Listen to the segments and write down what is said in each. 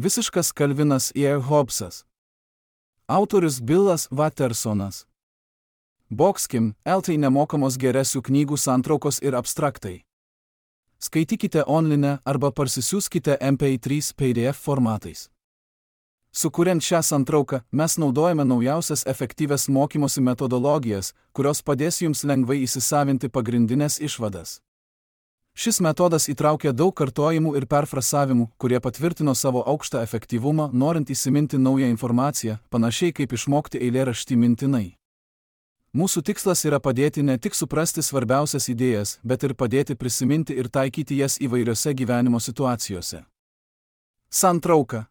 Visiškas Kalvinas ir Hobbesas. Autorius Billas Wattersonas. Boxkim, LT nemokamos geresių knygų santraukos ir abstraktai. Skaitykite online arba parsisiųskite MP3 PDF formatais. Sukuriant šią santrauką, mes naudojame naujausias efektyvias mokymosi metodologijas, kurios padės jums lengvai įsisavinti pagrindinės išvadas. Šis metodas įtraukia daug kartojimų ir perfrasavimų, kurie patvirtino savo aukštą efektyvumą, norint įsiminti naują informaciją, panašiai kaip išmokti eilėraštį mintinai. Mūsų tikslas yra padėti ne tik suprasti svarbiausias idėjas, bet ir padėti prisiminti ir taikyti jas įvairiose gyvenimo situacijose. Santrauka.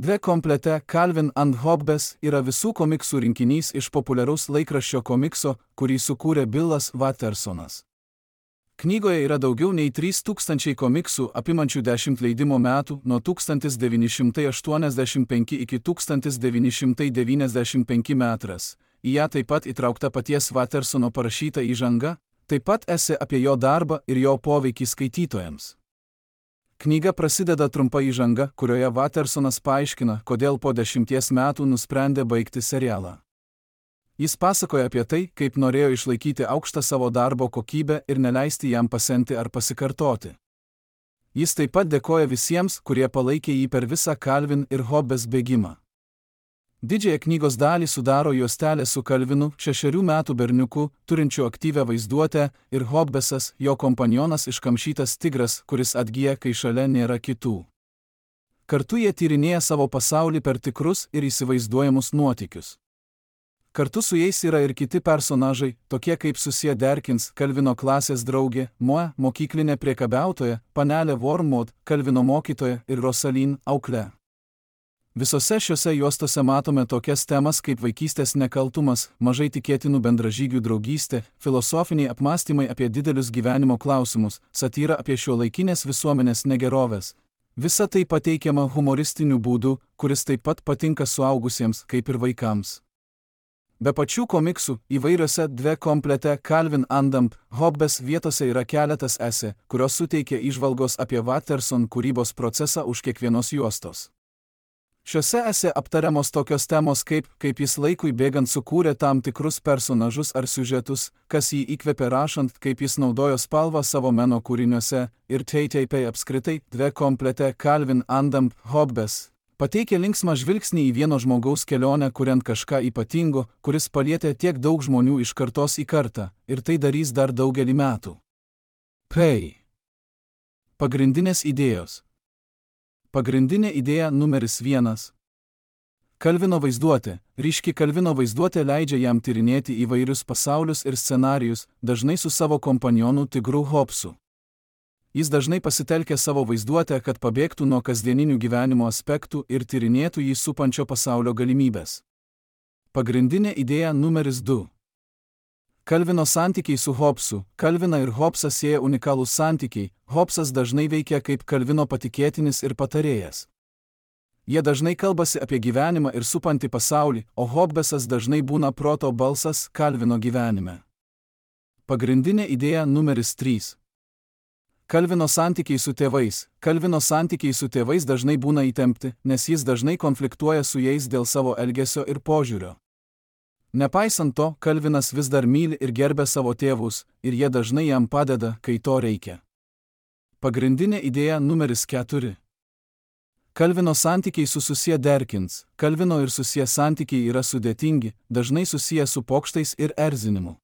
Dve komplete Calvin and Hobbes yra visų komiksų rinkinys iš populiaraus laikraščio komikso, kurį sukūrė Billas Wattersonas. Knygoje yra daugiau nei 3000 komiksų apimančių 10 leidimo metų nuo 1985 iki 1995 metras. Į ją taip pat įtraukta paties Wattersono parašyta įžanga, taip pat esė apie jo darbą ir jo poveikį skaitytojams. Knyga prasideda trumpa įžanga, kurioje Wattersonas paaiškina, kodėl po 10 metų nusprendė baigti serialą. Jis pasakoja apie tai, kaip norėjo išlaikyti aukštą savo darbo kokybę ir neleisti jam pasenti ar pasikartoti. Jis taip pat dėkoja visiems, kurie palaikė jį per visą Calvin ir Hobbes bėgimą. Didžiąją knygos dalį sudaro juostelė su Calvinu, 6 metų berniuku, turinčiu aktyvią vaizduotę, ir Hobbesas, jo kompanionas iškamšytas tigras, kuris atgyja, kai šalia nėra kitų. Kartu jie tyrinėja savo pasaulį per tikrus ir įsivaizduojamus nuotykius. Kartu su jais yra ir kiti personažai, tokie kaip Susie Derkins, Calvino klasės draugė, Moe, mokyklinė priekabiautoja, panelė Wormwood, Calvino mokytoja ir Rosaline, auklė. Visose šiose juostose matome tokias temas kaip vaikystės nekaltumas, mažai tikėtinų bendražygių draugystė, filosofiniai apmąstymai apie didelius gyvenimo klausimus, satyra apie šiuolaikinės visuomenės negeroves. Visa tai pateikiama humoristiniu būdu, kuris taip pat patinka suaugusiems kaip ir vaikams. Be pačių komiksų, įvairiose dve komplete Calvin and Hobbes vietose yra keletas esė, kurios suteikia įžvalgos apie Watterson kūrybos procesą už kiekvienos juostos. Šiuose esė aptariamos tokios temos kaip jis laikui bėgant sukūrė tam tikrus personažus ar siužetus, kas jį įkvėpė rašant, kaip jis naudojo spalvą savo meno kūriniuose, ir TTP apskritai dve komplete Calvin and Hobbes. Pateikia linksmą žvilgsnį į vieno žmogaus kelionę, kuriant kažką ypatingo, kuris palietė tiek daug žmonių iš kartos į kartą, ir tai darys dar daugelį metų. Pagrindinės idėjos. Pagrindinė idėja numeris 1. Calvino vaizduotė. Ryški Calvino vaizduotė leidžia jam tyrinėti įvairius pasaulius ir scenarijus, dažnai su savo kompanionu tigru Hobbesu. Jis dažnai pasitelkia savo vaizduotę, kad pabėgtų nuo kasdieninių gyvenimo aspektų ir tyrinėtų jį supančio pasaulio galimybės. Pagrindinė idėja numeris 2. Calvino santykiai su Hobbesu. Calviną ir Hobbesą sieja unikalūs santykiai. Hobbesas dažnai veikia kaip Calvino patikėtinis ir patarėjas. Jie dažnai kalbasi apie gyvenimą ir supantį pasaulį, o Hobbesas dažnai būna proto balsas Calvino gyvenime. Pagrindinė idėja numeris 3. Calvino santykiai su tėvais. Calvino santykiai su tėvais dažnai būna įtempti, nes jis dažnai konfliktuoja su jais dėl savo elgesio ir požiūrio. Nepaisant to, Calvinas vis dar myli ir gerbia savo tėvus, ir jie dažnai jam padeda, kai to reikia. Pagrindinė idėja numeris 4. Calvino santykiai su Susie Derkins. Calvino ir Susie santykiai yra sudėtingi, dažnai susiję su pokštais ir erzinimu.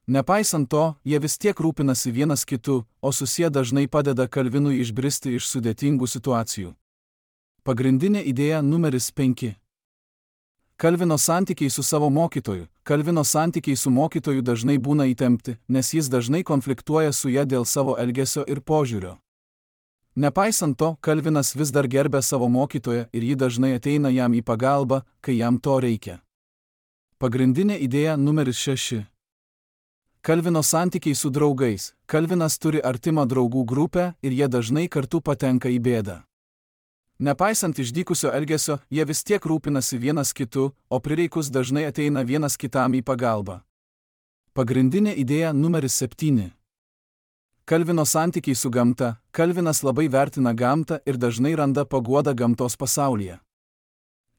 Nepaisant to, jie vis tiek rūpinasi vienas kitu, o Susie dažnai padeda Calvinui išbristi iš sudėtingų situacijų. Pagrindinė idėja numeris 5. Calvino santykiai su savo mokytoju. Calvino santykiai su mokytoju dažnai būna įtempti, nes jis dažnai konfliktuoja su ja dėl savo elgesio ir požiūrio. Nepaisant to, Calvinas vis dar gerbia savo mokytoją ir ji dažnai ateina jam į pagalbą, kai jam to reikia. Pagrindinė idėja numeris 6. Calvino santykiai su draugais. Calvinas turi artimą draugų grupę ir jie dažnai kartu patenka į bėdą. Nepaisant išdykusio elgesio, jie vis tiek rūpinasi vienas kitu, o prireikus dažnai ateina vienas kitam į pagalbą. Pagrindinė idėja numeris 7. Kalvino santykiai su gamta. Kalvinas labai vertina gamtą ir dažnai randa paguodą gamtos pasaulyje.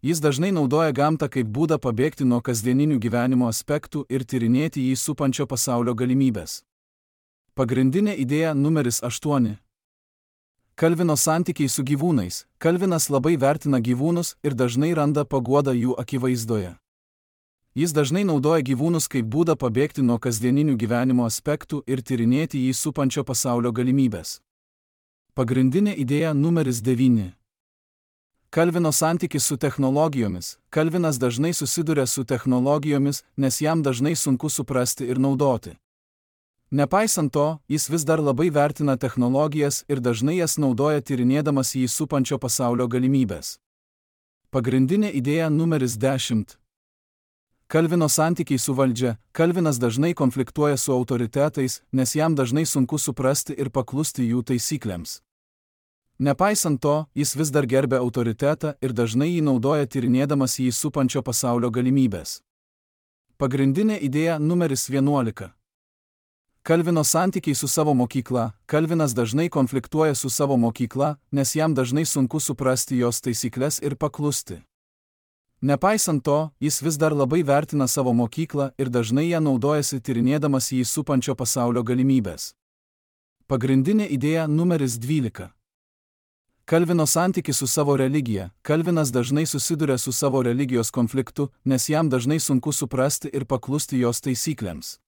Jis dažnai naudoja gamtą kaip būdą pabėgti nuo kasdieninių gyvenimo aspektų ir tyrinėti jį supančio pasaulio galimybės. Pagrindinė idėja numeris 8. Kalvino santykiai su gyvūnais. Kalvinas labai vertina gyvūnus ir dažnai randa paguodą jų akivaizdoje. Jis dažnai naudoja gyvūnus kaip būdą pabėgti nuo kasdieninių gyvenimo aspektų ir tyrinėti jį supančio pasaulio galimybės. Pagrindinė idėja numeris 9. Kalvino santykis su technologijomis. Kalvinas dažnai susiduria su technologijomis, nes jam dažnai sunku suprasti ir naudoti. Nepaisant to, jis vis dar labai vertina technologijas ir dažnai jas naudoja tyrinėdamas jį supančio pasaulio galimybės. Pagrindinė idėja numeris 10. Kalvino santykiai su valdžia. Kalvinas dažnai konfliktuoja su autoritetais, nes jam dažnai sunku suprasti ir paklusti jų taisyklėms. Nepaisant to, jis vis dar gerbia autoritetą ir dažnai jį naudoja tyrinėdamas jį supančio pasaulio galimybės. Pagrindinė idėja numeris 11. Kalvino santykiai su savo mokykla. Kalvinas dažnai konfliktuoja su savo mokykla, nes jam dažnai sunku suprasti jos taisyklės ir paklusti. Nepaisant to, jis vis dar labai vertina savo mokyklą ir dažnai ją naudojasi tyrinėdamas jį supančio pasaulio galimybės. Pagrindinė idėja numeris 12. Kalvino santykis su savo religija. Kalvinas dažnai susiduria su savo religijos konfliktu, nes jam dažnai sunku suprasti ir paklusti jos taisyklėms.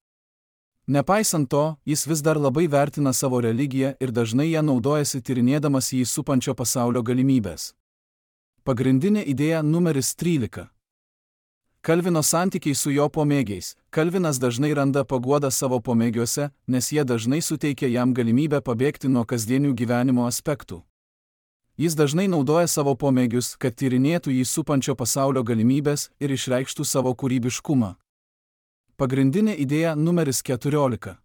Nepaisant to, jis vis dar labai vertina savo religiją ir dažnai ją naudojasi tyrinėdamas jį supančio pasaulio galimybės. Pagrindinė idėja numeris 13. Kalvino santykiai su jo pomėgiais. Kalvinas dažnai randa paguodą savo pomėgiuose, nes jie dažnai suteikia jam galimybę pabėgti nuo kasdienių gyvenimo aspektų. Jis dažnai naudoja savo pomėgius, kad tyrinėtų jį supančio pasaulio galimybės ir išreikštų savo kūrybiškumą. Pagrindinė idėja numeris 14.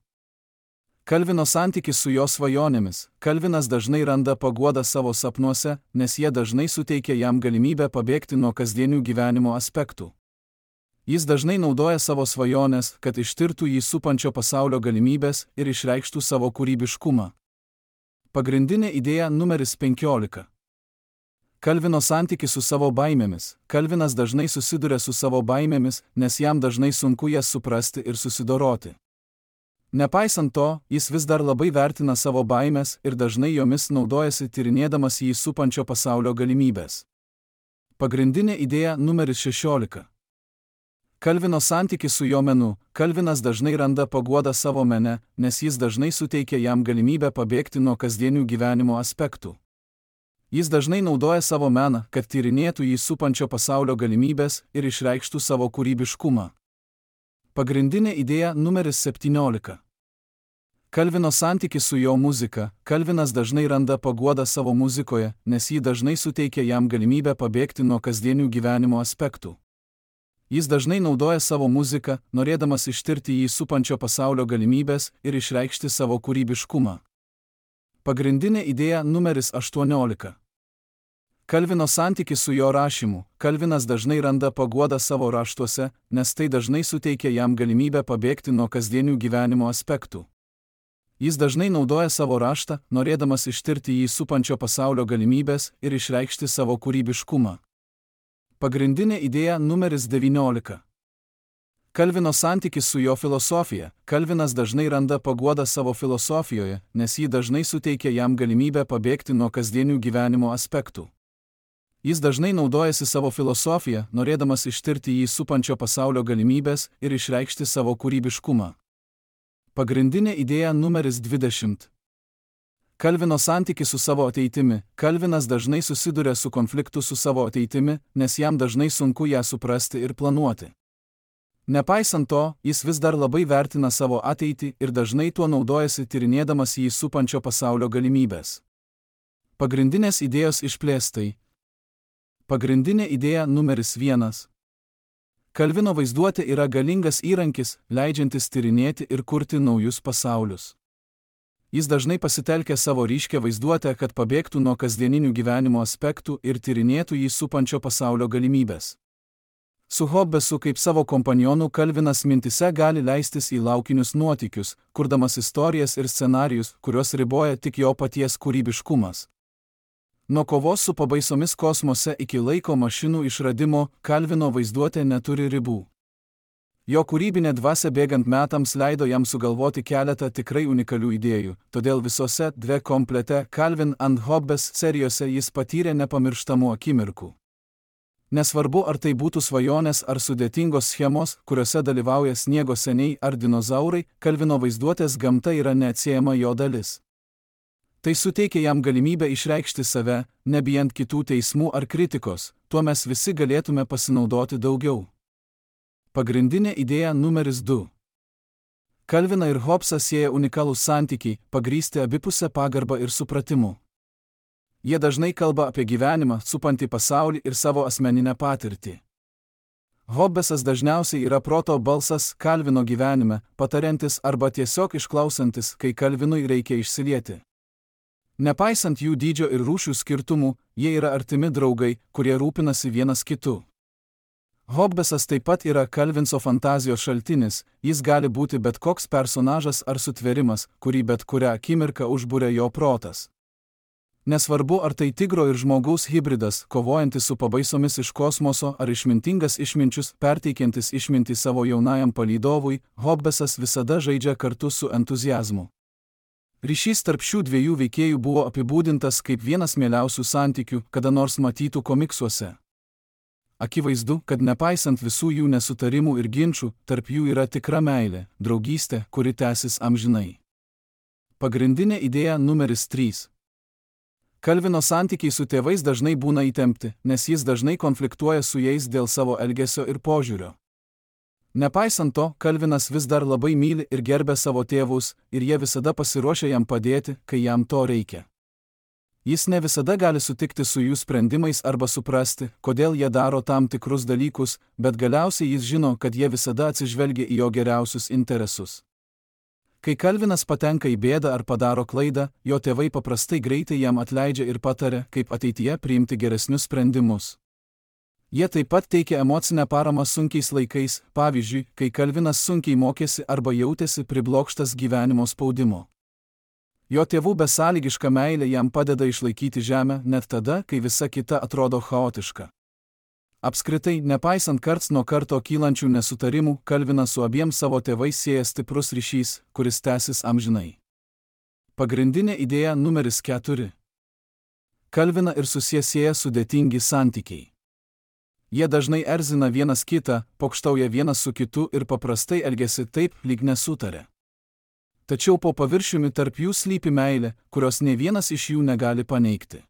Kalvino santykis su jo svajonėmis. Kalvinas dažnai randa paguodą savo sapnuose, nes jie dažnai suteikia jam galimybę pabėgti nuo kasdienių gyvenimo aspektų. Jis dažnai naudoja savo svajonės, kad ištirtų jį supančio pasaulio galimybės ir išreikštų savo kūrybiškumą. Pagrindinė idėja numeris 15. Kalvino santykis su savo baimėmis. Kalvinas dažnai susiduria su savo baimėmis, nes jam dažnai sunku jas suprasti ir susidoroti. Nepaisant to, jis vis dar labai vertina savo baimės ir dažnai jomis naudojasi tyrinėdamas jį supančio pasaulio galimybės. Pagrindinė idėja numeris 16. Kalvino santykis su jo menu. Kalvinas dažnai randa paguodą savo mene, nes jis dažnai suteikia jam galimybę pabėgti nuo kasdienių gyvenimo aspektų. Jis dažnai naudoja savo meną, kad tyrinėtų jį supančio pasaulio galimybės ir išreikštų savo kūrybiškumą. Pagrindinė idėja numeris 17. Kalvino santykis su jo muzika. Kalvinas dažnai randa paguodą savo muzikoje, nes ji dažnai suteikia jam galimybę pabėgti nuo kasdienių gyvenimo aspektų. Jis dažnai naudoja savo muziką, norėdamas ištirti jį supančio pasaulio galimybės ir išreikšti savo kūrybiškumą. Pagrindinė idėja numeris 18. Kalvino santykis su jo rašymu. Kalvinas dažnai randa paguodą savo raštuose, nes tai dažnai suteikia jam galimybę pabėgti nuo kasdienių gyvenimo aspektų. Jis dažnai naudoja savo raštą, norėdamas ištirti jį supančio pasaulio galimybės ir išreikšti savo kūrybiškumą. Pagrindinė idėja numeris 19. Kalvino santykis su jo filosofija. Kalvinas dažnai randa paguodą savo filosofijoje, nes ji dažnai suteikia jam galimybę pabėgti nuo kasdienių gyvenimo aspektų. Jis dažnai naudojasi savo filosofiją, norėdamas ištirti jį supančio pasaulio galimybės ir išreikšti savo kūrybiškumą. Pagrindinė idėja numeris 20. Kalvino santykis su savo ateitimi. Kalvinas dažnai susiduria su konfliktu su savo ateitimi, nes jam dažnai sunku ją suprasti ir planuoti. Nepaisant to, jis vis dar labai vertina savo ateitį ir dažnai tuo naudojasi tyrinėdamas jį supančio pasaulio galimybės. Pagrindinės idėjos išplėstai. Pagrindinė idėja numeris 1. Kalvino vaizduotė yra galingas įrankis, leidžiantis tyrinėti ir kurti naujus pasaulius. Jis dažnai pasitelkia savo ryškią vaizduotę, kad pabėgtų nuo kasdieninių gyvenimo aspektų ir tyrinėtų jį supančio pasaulio galimybės. Su Hobbesu kaip savo kompanionų Kalvinas mintise gali leistis į laukinius nuotykius, kurdamas istorijas ir scenarijus, kuriuos riboja tik jo paties kūrybiškumas. Nuo kovos su pabaisomis kosmose iki laiko mašinų išradimo Kalvino vaizduotė neturi ribų. Jo kūrybinė dvasia bėgant metams leido jam sugalvoti keletą tikrai unikalių idėjų, todėl visose dve komplete Calvin and Hobbes serijose jis patyrė nepamirštamų akimirkų. Nesvarbu, ar tai būtų svajonės ar sudėtingos schemos, kuriuose dalyvauja sniego seniai ar dinozaurai, Kalvino vaizduotės gamta yra neatsiejama jo dalis. Tai suteikia jam galimybę išreikšti save, nebijant kitų teismų ar kritikos, tuo mes visi galėtume pasinaudoti daugiau. Pagrindinė idėja numeris 2. Kalviną ir Hobbesą sieja unikalūs santykiai, pagrįsti abipusę pagarbą ir supratimu. Jie dažnai kalba apie gyvenimą, supantį pasaulį ir savo asmeninę patirtį. Hobbesas dažniausiai yra proto balsas Kalvino gyvenime, patariantis arba tiesiog išklausantis, kai Kalvinui reikia išsilieti. Nepaisant jų dydžio ir rūšių skirtumų, jie yra artimi draugai, kurie rūpinasi vienas kitu. Hobbesas taip pat yra Kalvinso fantazijos šaltinis, jis gali būti bet koks personažas ar sutvėrimas, kurį bet kurią akimirką užburia jo protas. Nesvarbu, ar tai tigro ir žmogaus hybridas, kovojantis su pabaisomis iš kosmoso, ar išmintingas išminčius, perteikiantis išmintį savo jaunajam palydovui, Hobbesas visada žaidžia kartu su entuziazmu. Ryšys tarp šių dviejų veikėjų buvo apibūdintas kaip vienas mieliausių santykių, kada nors matytų komiksuose. Akivaizdu, kad nepaisant visų jų nesutarimų ir ginčių, tarp jų yra tikra meilė, draugystė, kuri tęsis amžinai. Pagrindinė idėja numeris 3. Kalvino santykiai su tėvais dažnai būna įtempti, nes jis dažnai konfliktuoja su jais dėl savo elgesio ir požiūrio. Nepaisant to, Kalvinas vis dar labai myli ir gerbia savo tėvus, ir jie visada pasiruošia jam padėti, kai jam to reikia. Jis ne visada gali sutikti su jų sprendimais arba suprasti, kodėl jie daro tam tikrus dalykus, bet galiausiai jis žino, kad jie visada atsižvelgia į jo geriausius interesus. Kai Kalvinas patenka į bėdą ar padaro klaidą, jo tėvai paprastai greitai jam atleidžia ir pataria, kaip ateityje priimti geresnius sprendimus. Jie taip pat teikia emocinę paramą sunkiais laikais, pavyzdžiui, kai Kalvinas sunkiai mokėsi arba jautėsi priblokštas gyvenimo spaudimo. Jo tėvų besąlygiška meilė jam padeda išlaikyti žemę net tada, kai visa kita atrodo chaotiška. Apskritai, nepaisant karts nuo karto kylančių nesutarimų, Kalvinas su abiem savo tėvais sieja stiprus ryšys, kuris tęsis amžinai. Pagrindinė idėja numeris 4. Kalviną ir susieja sudėtingi santykiai. Jie dažnai erzina vienas kitą, pokštauja vienas su kitu ir paprastai elgiasi taip, lyg nesutarė. Tačiau po paviršiumi tarp jų slypi meilė, kurios nei vienas iš jų negali paneigti.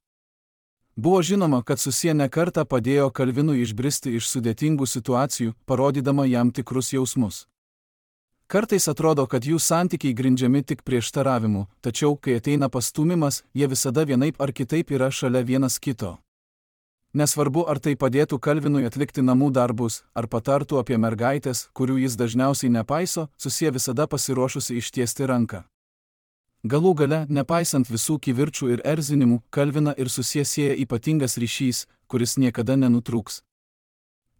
Buvo žinoma, kad susie ne kartą padėjo Kalvinui išbristi iš sudėtingų situacijų, parodydama jam tikrus jausmus. Kartais atrodo, kad jų santykiai grindžiami tik prieštaravimu, tačiau, kai ateina pastūmimas, jie visada vienaip ar kitaip yra šalia vienas kito. Nesvarbu, ar tai padėtų Kalvinui atlikti namų darbus, ar patartų apie mergaitės, kurių jis dažniausiai nepaiso, susie visada pasiruošusi ištiesti ranką. Galų gale, nepaisant visų kivirčų ir erzinimų, Kalviną ir susie sieja ypatingas ryšys, kuris niekada nenutrūks.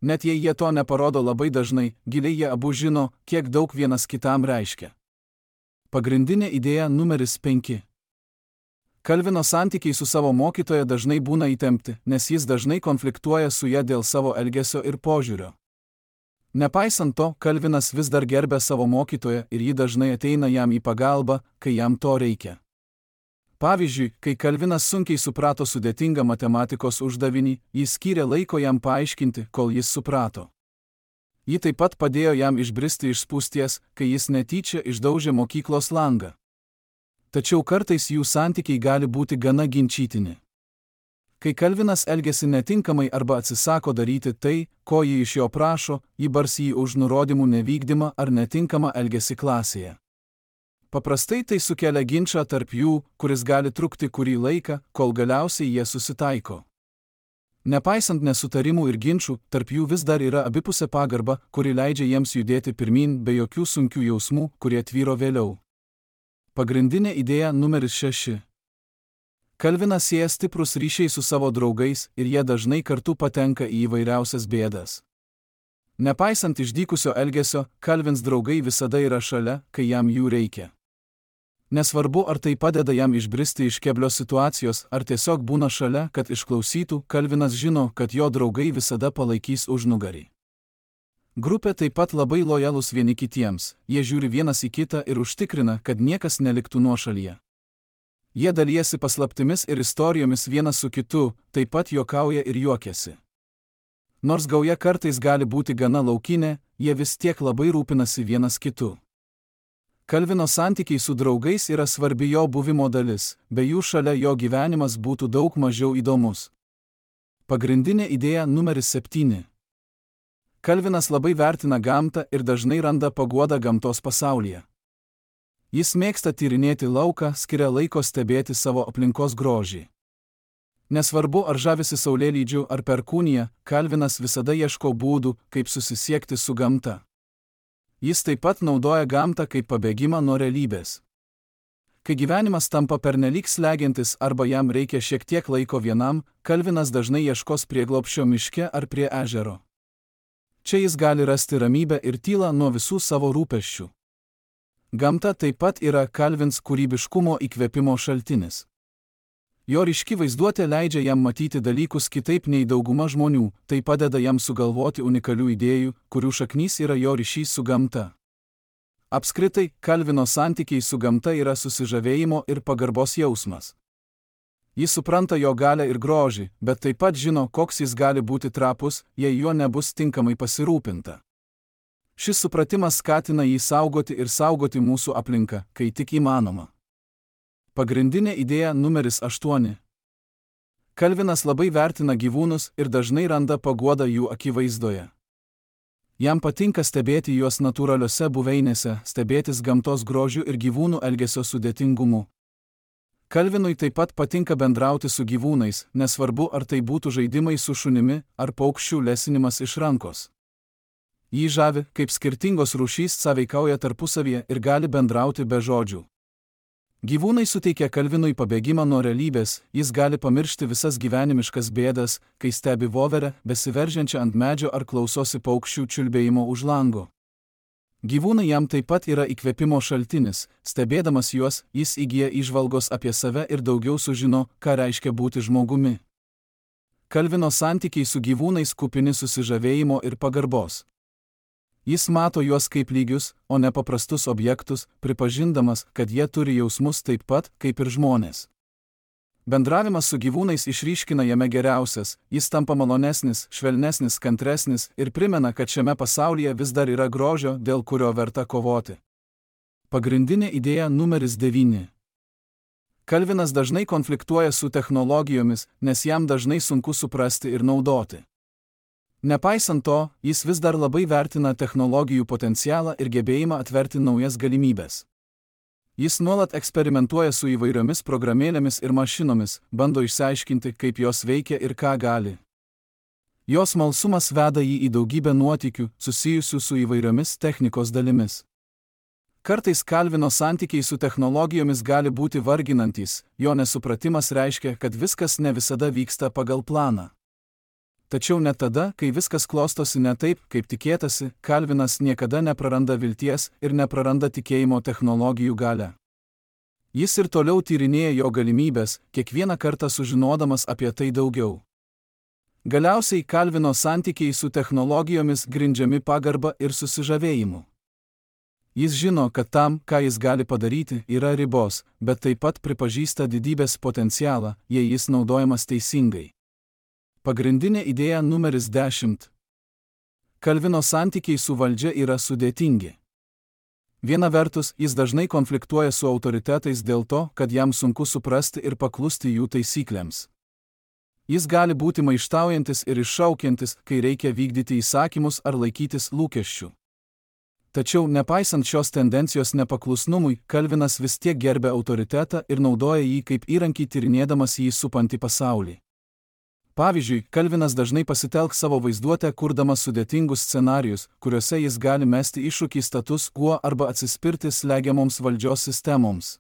Net jei jie to neparodo labai dažnai, giliai jie abu žino, kiek daug vienas kitam reiškia. Pagrindinė idėja numeris 5. Kalvino santykiai su savo mokytoja dažnai būna įtempti, nes jis dažnai konfliktuoja su ja dėl savo elgesio ir požiūrio. Nepaisant to, Kalvinas vis dar gerbia savo mokytoją ir ji dažnai ateina jam į pagalbą, kai jam to reikia. Pavyzdžiui, kai Kalvinas sunkiai suprato sudėtingą matematikos uždavinį, jis skyrė laiko jam paaiškinti, kol jis suprato. Ji taip pat padėjo jam išbristi iš spūsties, kai jis netyčia išdaužė mokyklos langą. Tačiau kartais jų santykiai gali būti gana ginčytini. Kai Kalvinas elgiasi netinkamai arba atsisako daryti tai, ko ji iš jo prašo, ji barsi jį už nurodymų nevykdymą ar netinkamą elgesį klasėje. Paprastai tai sukelia ginčą tarp jų, kuris gali trukti kurį laiką, kol galiausiai jie susitaiko. Nepaisant nesutarimų ir ginčų, tarp jų vis dar yra abipusė pagarba, kuri leidžia jiems judėti pirmyn be jokių sunkių jausmų, kurie tvyro vėliau. Pagrindinė idėja numeris 6. Kalvinas sieja stiprus ryšiai su savo draugais ir jie dažnai kartu patenka į įvairiausias bėdas. Nepaisant išdykusio elgesio, Kalvins draugai visada yra šalia, kai jam jų reikia. Nesvarbu, ar tai padeda jam išbristi iš keblios situacijos, ar tiesiog būna šalia, kad išklausytų, Kalvinas žino, kad jo draugai visada palaikys užnugarį. Grupė taip pat labai lojalūs vieni kitiems, jie žiūri vienas į kitą ir užtikrina, kad niekas neliktų nuošalyje. Jie dalijasi paslaptimis ir istorijomis vienas su kitu, taip pat juokauja ir juokiasi. Nors gauja kartais gali būti gana laukinė, jie vis tiek labai rūpinasi vienas kitu. Kalvino santykiai su draugais yra svarbi jo buvimo dalis, be jų šalia jo gyvenimas būtų daug mažiau įdomus. Pagrindinė idėja numeris 7. Kalvinas labai vertina gamtą ir dažnai randa paguodą gamtos pasaulyje. Jis mėgsta tyrinėti lauką, skiria laiko stebėti savo aplinkos grožį. Nesvarbu, ar žavisi saulėlydžiu ar perkūnija, Kalvinas visada ieško būdų, kaip susisiekti su gamta. Jis taip pat naudoja gamtą kaip pabėgimą nuo realybės. Kai gyvenimas tampa pernelyg slegiantis arba jam reikia šiek tiek laiko vienam, Kalvinas dažnai ieškos prieglobsčio miške ar prie ežero. Čia jis gali rasti ramybę ir tylą nuo visų savo rūpesčių. Gamta taip pat yra Kalvins kūrybiškumo įkvėpimo šaltinis. Jo ryški vaizduotė leidžia jam matyti dalykus kitaip nei dauguma žmonių, tai padeda jam sugalvoti unikalių idėjų, kurių šaknys yra jo ryšys su gamta. Apskritai, Kalvino santykiai su gamta yra susižavėjimo ir pagarbos jausmas. Jis supranta jo galią ir grožį, bet taip pat žino, koks jis gali būti trapus, jei juo nebus tinkamai pasirūpinta. Šis supratimas skatina jį saugoti ir saugoti mūsų aplinką, kai tik įmanoma. Pagrindinė idėja numeris 8. Kalvinas labai vertina gyvūnus ir dažnai randa paguodą jų akivaizdoje. Jam patinka stebėti juos natūraliose buveinėse, stebėtis gamtos grožiu ir gyvūnų elgesio sudėtingumu. Kalvinui taip pat patinka bendrauti su gyvūnais, nesvarbu, ar tai būtų žaidimai su šunimi ar paukščių lesinimas iš rankos. Jį žavi, kaip skirtingos rūšys sąveikauja tarpusavyje ir gali bendrauti be žodžių. Gyvūnai suteikia Kalvinui pabėgimą nuo realybės, jis gali pamiršti visas gyvenimiškas bėdas, kai stebi voverę, besiveržiančią ant medžio ar klausosi paukščių čiulbėjimo už lango. Gyvūnai jam taip pat yra įkvėpimo šaltinis, stebėdamas juos, jis įgyja įžvalgos apie save ir daugiau sužino, ką reiškia būti žmogumi. Kalvino santykiai su gyvūnais kupini susižavėjimo ir pagarbos. Jis mato juos kaip lygius, o ne paprastus objektus, pripažindamas, kad jie turi jausmus taip pat, kaip ir žmonės. Bendravimas su gyvūnais išryškina jame geriausias, jis tampa malonesnis, švelnesnis, kantresnis ir primena, kad šiame pasaulyje vis dar yra grožio, dėl kurio verta kovoti. Pagrindinė idėja numeris 9. Kalvinas dažnai konfliktuoja su technologijomis, nes jam dažnai sunku suprasti ir naudoti. Nepaisant to, jis vis dar labai vertina technologijų potencialą ir gebėjimą atverti naujas galimybes. Jis nuolat eksperimentuoja su įvairiomis programėlėmis ir mašinomis, bando išsiaiškinti, kaip jos veikia ir ką gali. Jo smalsumas veda jį į daugybę nuotykių, susijusių su įvairiomis technikos dalimis. Kartais Kalvino santykiai su technologijomis gali būti varginantys, jo nesupratimas reiškia, kad viskas ne visada vyksta pagal planą. Tačiau net tada, kai viskas klostosi ne taip, kaip tikėtasi, Kalvinas niekada nepraranda vilties ir nepraranda tikėjimo technologijų galią. Jis ir toliau tyrinėja jo galimybės, kiekvieną kartą sužinodamas apie tai daugiau. Galiausiai Kalvino santykiai su technologijomis grindžiami pagarba ir susižavėjimu. Jis žino, kad tam, ką jis gali padaryti, yra ribos, bet taip pat pripažįsta didybės potencialą, jei jis naudojamas teisingai. Pagrindinė idėja numeris 10. Kalvino santykiai su valdžia yra sudėtingi. Viena vertus, jis dažnai konfliktuoja su autoritetais dėl to, kad jam sunku suprasti ir paklusti jų taisyklėms. Jis gali būti maištaujantis ir iššaukiantis, kai reikia vykdyti įsakymus ar laikytis lūkesčių. Tačiau, nepaisant šios tendencijos nepaklusnumui, Kalvinas vis tiek gerbia autoritetą ir naudoja jį kaip įrankį tyrinėdamas jį supantį pasaulį. Pavyzdžiui, Kalvinas dažnai pasitelks savo vaizduotę, kurdamas sudėtingus scenarijus, kuriuose jis gali mesti iššūkį status quo arba atsispirti slegiamoms valdžios sistemoms.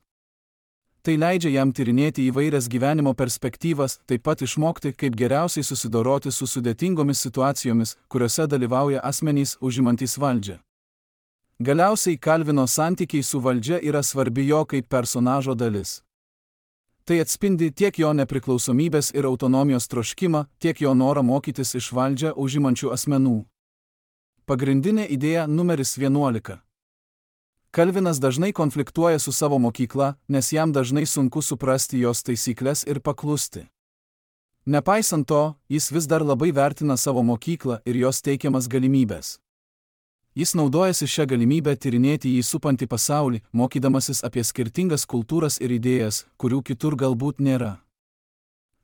Tai leidžia jam tyrinėti įvairias gyvenimo perspektyvas, taip pat išmokti, kaip geriausiai susidoroti su sudėtingomis situacijomis, kuriuose dalyvauja asmenys užimantys valdžią. Galiausiai Kalvino santykiai su valdžia yra svarbi jo kaip personažo dalis. Tai atspindi tiek jo nepriklausomybės ir autonomijos troškimą, tiek jo norą mokytis iš valdžią užimančių asmenų. Pagrindinė idėja numeris 11. Kalvinas dažnai konfliktuoja su savo mokykla, nes jam dažnai sunku suprasti jos taisyklės ir paklusti. Nepaisant to, jis vis dar labai vertina savo mokyklą ir jos teikiamas galimybės. Jis naudojasi šią galimybę tyrinėti jį supantį pasaulį, mokydamasis apie skirtingas kultūras ir idėjas, kurių kitur galbūt nėra.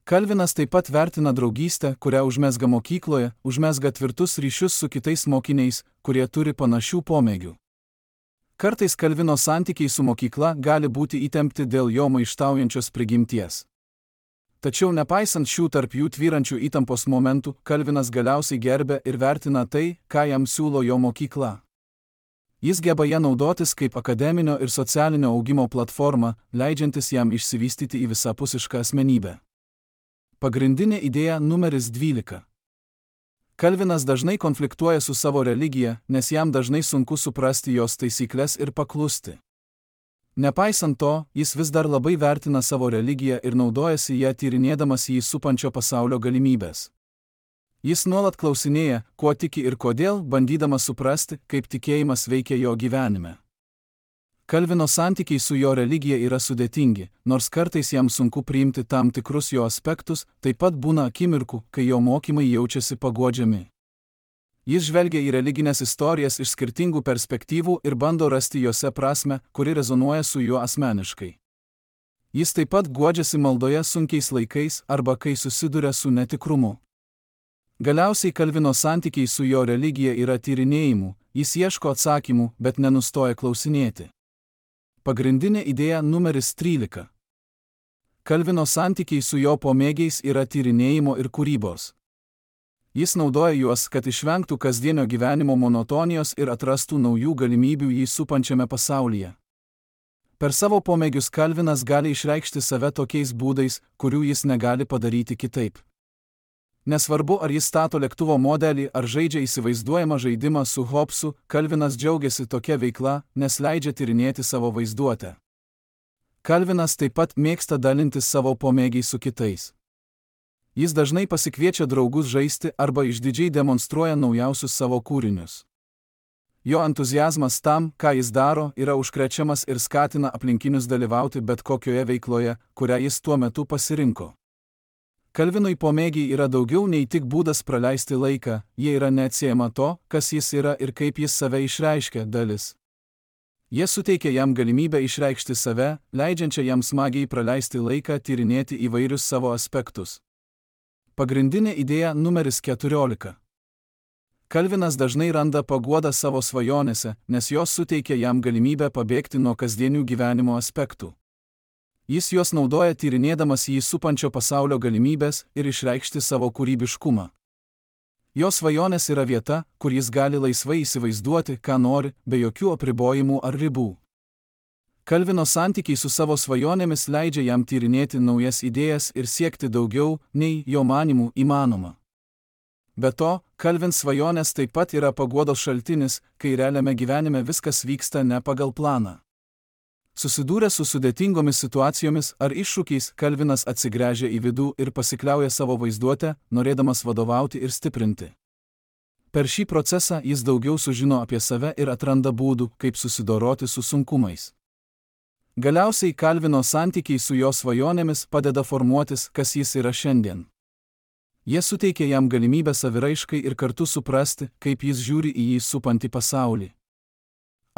Kalvinas taip pat vertina draugystę, kurią užmezga mokykloje, užmezga tvirtus ryšius su kitais mokiniais, kurie turi panašių pomėgių. Kartais Kalvino santykiai su mokykla gali būti įtempti dėl jo maištaujančios prigimties. Tačiau nepaisant šių tarp jų tvyrančių įtampos momentų, Kalvinas galiausiai gerbia ir vertina tai, ką jam siūlo jo mokykla. Jis geba ją naudotis kaip akademinio ir socialinio augimo platformą, leidžiantis jam išsivystyti į visapusišką asmenybę. Pagrindinė idėja numeris 12. Kalvinas dažnai konfliktuoja su savo religija, nes jam dažnai sunku suprasti jos taisyklės ir paklusti. Nepaisant to, jis vis dar labai vertina savo religiją ir naudojasi ją tyrinėdamas jį supančio pasaulio galimybės. Jis nuolat klausinėja, kuo tiki ir kodėl, bandydamas suprasti, kaip tikėjimas veikia jo gyvenime. Kalvino santykiai su jo religija yra sudėtingi, nors kartais jam sunku priimti tam tikrus jo aspektus, taip pat būna akimirkų, kai jo mokymai jaučiasi paguodžiami. Jis žvelgia į religinės istorijas iš skirtingų perspektyvų ir bando rasti jose prasmę, kuri rezonuoja su juo asmeniškai. Jis taip pat guodžiasi maldoje sunkiais laikais arba kai susiduria su netikrumu. Galiausiai Kalvino santykiai su jo religija yra tyrinėjimų, jis ieško atsakymų, bet nenustoja klausinėti. Pagrindinė idėja numeris 13. Kalvino santykiai su jo pomėgiais yra tyrinėjimo ir kūrybos. Jis naudoja juos, kad išvengtų kasdienio gyvenimo monotonijos ir atrastų naujų galimybių jį supančiame pasaulyje. Per savo pomėgius Kalvinas gali išreikšti save tokiais būdais, kurių jis negali padaryti kitaip. Nesvarbu, ar jis stato lėktuvo modelį ar žaidžia įsivaizduojamą žaidimą su Hobbesu, Kalvinas džiaugiasi tokia veikla, nes leidžia tyrinėti savo vaizduotę. Kalvinas taip pat mėgsta dalintis savo pomėgiais su kitais. Jis dažnai pasikviečia draugus žaisti arba išdidžiai demonstruoja naujausius savo kūrinius. Jo entuziazmas tam, ką jis daro, yra užkrečiamas ir skatina aplinkinius dalyvauti bet kokioje veikloje, kurią jis tuo metu pasirinko. Kalvinui pomėgiai yra daugiau nei tik būdas praleisti laiką, jie yra neatsiejama to, kas jis yra ir kaip jis save išreiškia dalis. Jie suteikia jam galimybę išreikšti save, leidžiančią jam smagiai praleisti laiką tyrinėti įvairius savo aspektus. Pagrindinė idėja numeris 14. Kalvinas dažnai randa paguodą savo svajonėse, nes jos suteikia jam galimybę pabėgti nuo kasdienių gyvenimo aspektų. Jis juos naudoja tyrinėdamas jį supančio pasaulio galimybės ir išreikšti savo kūrybiškumą. Jo svajonės yra vieta, kur jis gali laisvai įsivaizduoti, ką nori, be jokių apribojimų ar ribų. Kalvino santykiai su savo svajonėmis leidžia jam tyrinėti naujas idėjas ir siekti daugiau, nei jo manymų įmanoma. Be to, Kalvin svajonės taip pat yra paguodos šaltinis, kai realiame gyvenime viskas vyksta ne pagal planą. Susidūręs su sudėtingomis situacijomis ar iššūkiais, Kalvinas atsigręžia į vidų ir pasikliauja savo vaizduotę, norėdamas vadovauti ir stiprinti. Per šį procesą jis daugiau sužino apie save ir atranda būdų, kaip susidoroti su sunkumais. Galiausiai Kalvino santykiai su jo svajonėmis padeda formuotis, kas jis yra šiandien. Jie suteikia jam galimybę saviraiškai ir kartu suprasti, kaip jis žiūri į jį supantį pasaulį.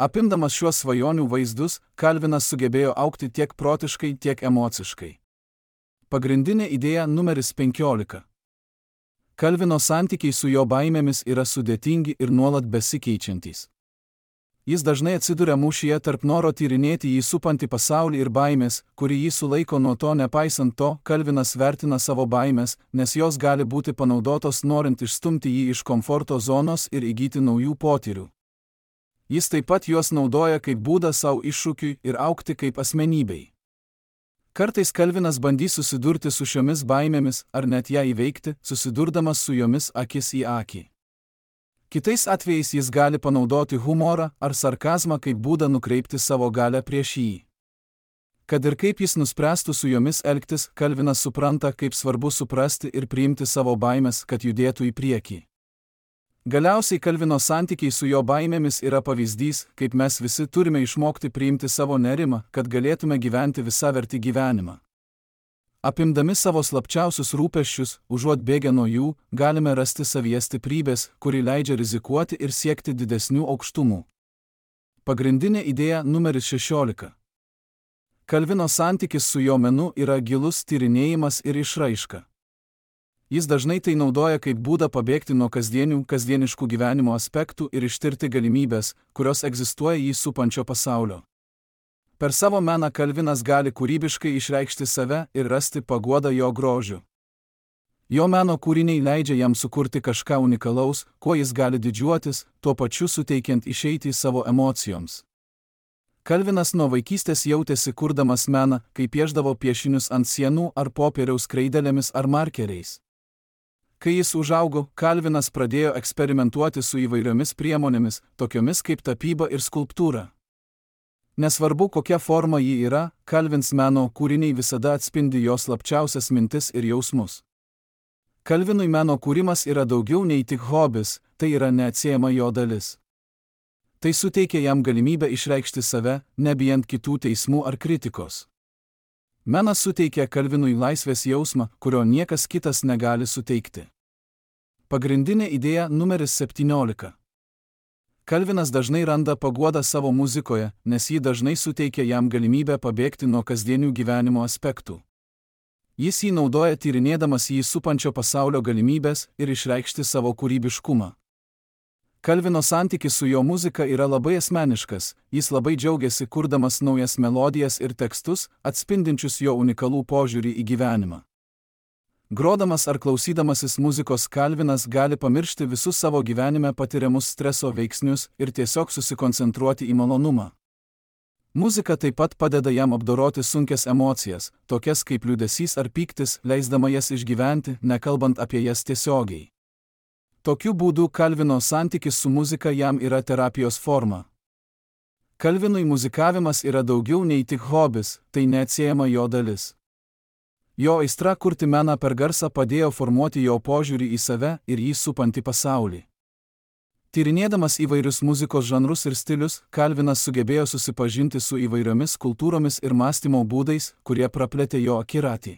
Apimdamas šiuos svajonių vaizdus, Kalvinas sugebėjo augti tiek protiškai, tiek emociškai. Pagrindinė idėja numeris 15. Kalvino santykiai su jo baimėmis yra sudėtingi ir nuolat besikeičiantys. Jis dažnai atsiduria mūšyje tarp noro tyrinėti jį supantį pasaulį ir baimės, kuri jį sulaiko nuo to. Nepaisant to, Kalvinas vertina savo baimės, nes jos gali būti panaudotos norint išstumti jį iš komforto zonos ir įgyti naujų potyrių. Jis taip pat juos naudoja kaip būdą savo iššūkiui ir augti kaip asmenybei. Kartais Kalvinas bandys susidurti su šiomis baimėmis ar net ją įveikti, susidurdamas su jomis akis į akį. Kitais atvejais jis gali panaudoti humorą ar sarkazmą kaip būdą nukreipti savo galią prieš jį. Kad ir kaip jis nuspręstų su jomis elgtis, Kalvinas supranta, kaip svarbu suprasti ir priimti savo baimės, kad judėtų į priekį. Galiausiai Kalvino santykiai su jo baimėmis yra pavyzdys, kaip mes visi turime išmokti priimti savo nerimą, kad galėtume gyventi visavertį gyvenimą. Apimdami savo slapčiausius rūpesčius, užuot bėgę nuo jų, galime rasti savyje stiprybės, kuri leidžia rizikuoti ir siekti didesnių aukštumų. Pagrindinė idėja numeris 16. Kalvino santykis su jo menu yra gilus tyrinėjimas ir išraiška. Jis dažnai tai naudoja kaip būdą pabėgti nuo kasdieniškų gyvenimo aspektų ir ištirti galimybės, kurios egzistuoja jį supančio pasaulio. Per savo meną Kalvinas gali kūrybiškai išreikšti save ir rasti paguodą jo grožiu. Jo meno kūriniai leidžia jam sukurti kažką unikalaus, kuo jis gali didžiuotis, tuo pačiu suteikiant išeitį savo emocijoms. Kalvinas nuo vaikystės jautėsi kurdamas meną, kai pieždavo piešinius ant sienų ar popieriaus kreidelėmis ar markeriais. Kai jis užaugo, Kalvinas pradėjo eksperimentuoti su įvairiomis priemonėmis, tokiomis kaip tapyba ir skulptūra. Nesvarbu, kokia forma ji yra, Kalvins meno kūriniai visada atspindi jo slapčiausias mintis ir jausmus. Kalvinui meno kūrimas yra daugiau nei tik hobis, tai yra neatsiejama jo dalis. Tai suteikia jam galimybę išreikšti save, nebijant kitų teismų ar kritikos. Menas suteikia Kalvinui laisvės jausmą, kurio niekas kitas negali suteikti. Pagrindinė idėja numeris 17. Kalvinas dažnai randa paguodą savo muzikoje, nes ji dažnai suteikia jam galimybę pabėgti nuo kasdienių gyvenimo aspektų. Jis jį naudoja tyrinėdamas jį supančio pasaulio galimybės ir išreikšti savo kūrybiškumą. Kalvino santykis su jo muzika yra labai asmeniškas, jis labai džiaugiasi kurdamas naujas melodijas ir tekstus, atspindinčius jo unikalų požiūrį į gyvenimą. Grodamas ar klausydamasis muzikos Kalvinas gali pamiršti visus savo gyvenime patiriamus streso veiksnius ir tiesiog susikoncentruoti į malonumą. Muzika taip pat padeda jam apdoroti sunkias emocijas, tokias kaip liūdesys ar pyktis, leisdama jas išgyventi, nekalbant apie jas tiesiogiai. Tokiu būdu Kalvino santykis su muzika jam yra terapijos forma. Kalvinui muzikavimas yra daugiau nei tik hobis, tai neatsiejama jo dalis. Jo aistra kurti meną per garsą padėjo formuoti jo požiūrį į save ir jį supantį pasaulį. Tyrinėdamas įvairius muzikos žanrus ir stilius, Kalvinas sugebėjo susipažinti su įvairiomis kultūromis ir mąstymo būdais, kurie praplėtė jo akiratį.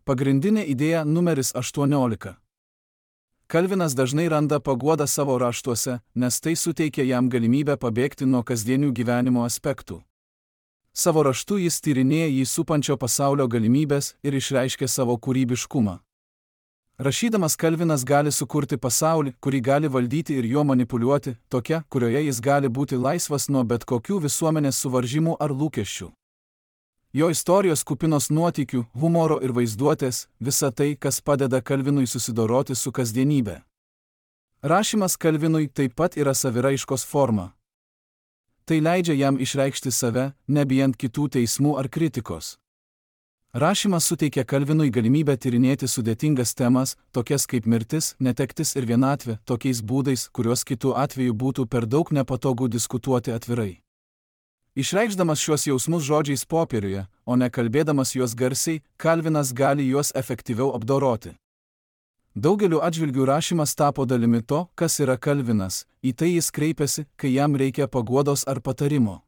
Pagrindinė idėja numeris 18. Kalvinas dažnai randa paguodą savo raštuose, nes tai suteikia jam galimybę pabėgti nuo kasdienių gyvenimo aspektų. Savo raštu jis tyrinėja jį supančio pasaulio galimybės ir išreiškia savo kūrybiškumą. Rašydamas Kalvinas gali sukurti pasaulį, kurį gali valdyti ir juo manipuliuoti, tokia, kurioje jis gali būti laisvas nuo bet kokių visuomenės suvaržymų ar lūkesčių. Jo istorijos kupinos nuotykių, humoro ir vaizduotės, visa tai, kas padeda Kalvinui susidoroti su kasdienybė. Rašymas Kalvinui taip pat yra saviraiškos forma. Tai leidžia jam išreikšti save, nebijant kitų teismų ar kritikos. Rašymas suteikia Kalvinui galimybę tyrinėti sudėtingas temas, tokias kaip mirtis, netektis ir vienatvė, tokiais būdais, kuriuos kitų atveju būtų per daug nepatogu diskutuoti atvirai. Išreikšdamas šiuos jausmus žodžiais popieriuje, o ne kalbėdamas juos garsiai, Kalvinas gali juos efektyviau apdoroti. Daugeliu atžvilgių rašymas tapo dalimi to, kas yra Kalvinas, į tai jis kreipiasi, kai jam reikia paguodos ar patarimo.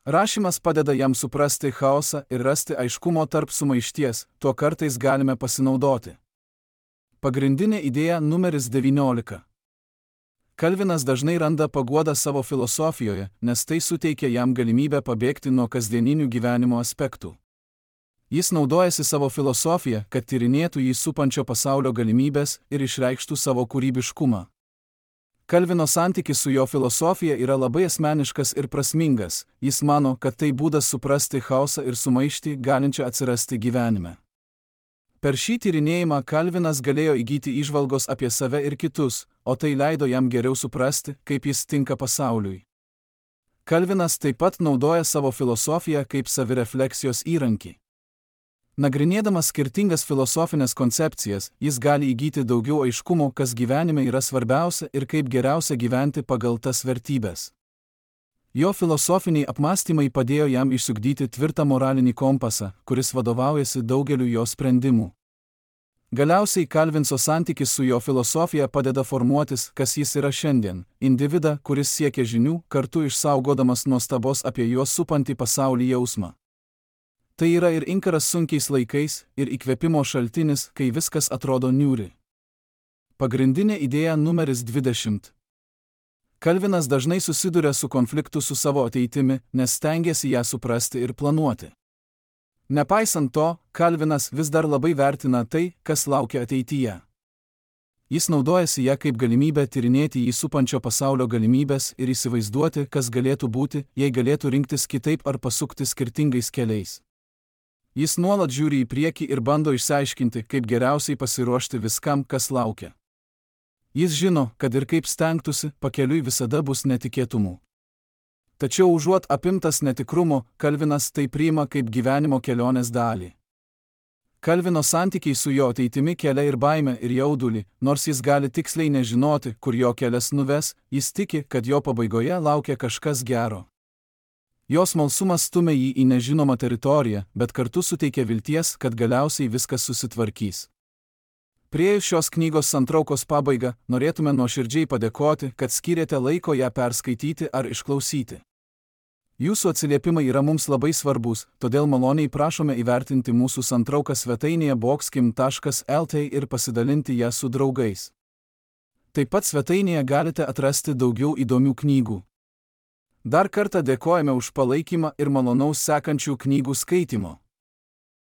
Rašymas padeda jam suprasti chaosą ir rasti aiškumo tarp sumaišties, tuo kartais galime pasinaudoti. Pagrindinė idėja numeris 19. Kalvinas dažnai randa paguodą savo filosofijoje, nes tai suteikia jam galimybę pabėgti nuo kasdieninių gyvenimo aspektų. Jis naudojasi savo filosofiją, kad tyrinėtų jį supančio pasaulio galimybės ir išreikštų savo kūrybiškumą. Kalvino santykis su jo filosofija yra labai asmeniškas ir prasmingas, jis mano, kad tai būdas suprasti chaosą ir sumaištį galinčią atsirasti gyvenime. Per šį tyrinėjimą Kalvinas galėjo įgyti įžvalgos apie save ir kitus, o tai leido jam geriau suprasti, kaip jis tinka pasauliui. Kalvinas taip pat naudoja savo filosofiją kaip savirefleksijos įrankį. Nagrinėdamas skirtingas filosofinės koncepcijas, jis gali įgyti daugiau aiškumo, kas gyvenime yra svarbiausia ir kaip geriausia gyventi pagal tas vertybės. Jo filosofiniai apmąstymai padėjo jam išsiugdyti tvirtą moralinį kompasą, kuris vadovaujasi daugeliu jo sprendimų. Galiausiai Kalvinso santykis su jo filosofija padeda formuotis, kas jis yra šiandien – individą, kuris siekia žinių, kartu išsaugodamas nuostabos apie juos supantį pasaulį jausmą. Tai yra ir inkaras sunkiais laikais, ir įkvėpimo šaltinis, kai viskas atrodo niūri. Pagrindinė idėja numeris 20. Kalvinas dažnai susiduria su konfliktu su savo ateitimi, nes stengiasi ją suprasti ir planuoti. Nepaisant to, Kalvinas vis dar labai vertina tai, kas laukia ateityje. Jis naudojasi ją kaip galimybę tyrinėti jį supančio pasaulio galimybės ir įsivaizduoti, kas galėtų būti, jei galėtų rinktis kitaip ar pasukti skirtingais keliais. Jis nuolat žiūri į priekį ir bando išsiaiškinti, kaip geriausiai pasiruošti viskam, kas laukia. Jis žino, kad ir kaip stengtųsi, pakeliui visada bus netikėtumų. Tačiau užuot apimtas netikrumo, Kalvinas tai priima kaip gyvenimo kelionės dalį. Kalvino santykiai su jo ateitimi kelia ir baimę ir jaudulį, nors jis gali tiksliai nežinoti, kur jo kelias nuves, jis tiki, kad jo pabaigoje laukia kažkas gero. Jo smalsumas stumia jį į nežinomą teritoriją, bet kartu suteikia vilties, kad galiausiai viskas susitvarkys. Priėjus šios knygos santraukos pabaigą, norėtume nuoširdžiai padėkoti, kad skyrėte laiko ją perskaityti ar išklausyti. Jūsų atsiliepimai yra mums labai svarbus, todėl maloniai prašome įvertinti mūsų santrauką svetainėje boxkim.lt ir pasidalinti ją su draugais. Taip pat svetainėje galite atrasti daugiau įdomių knygų. Dar kartą dėkojame už palaikymą ir malonaus sekančių knygų skaitimo.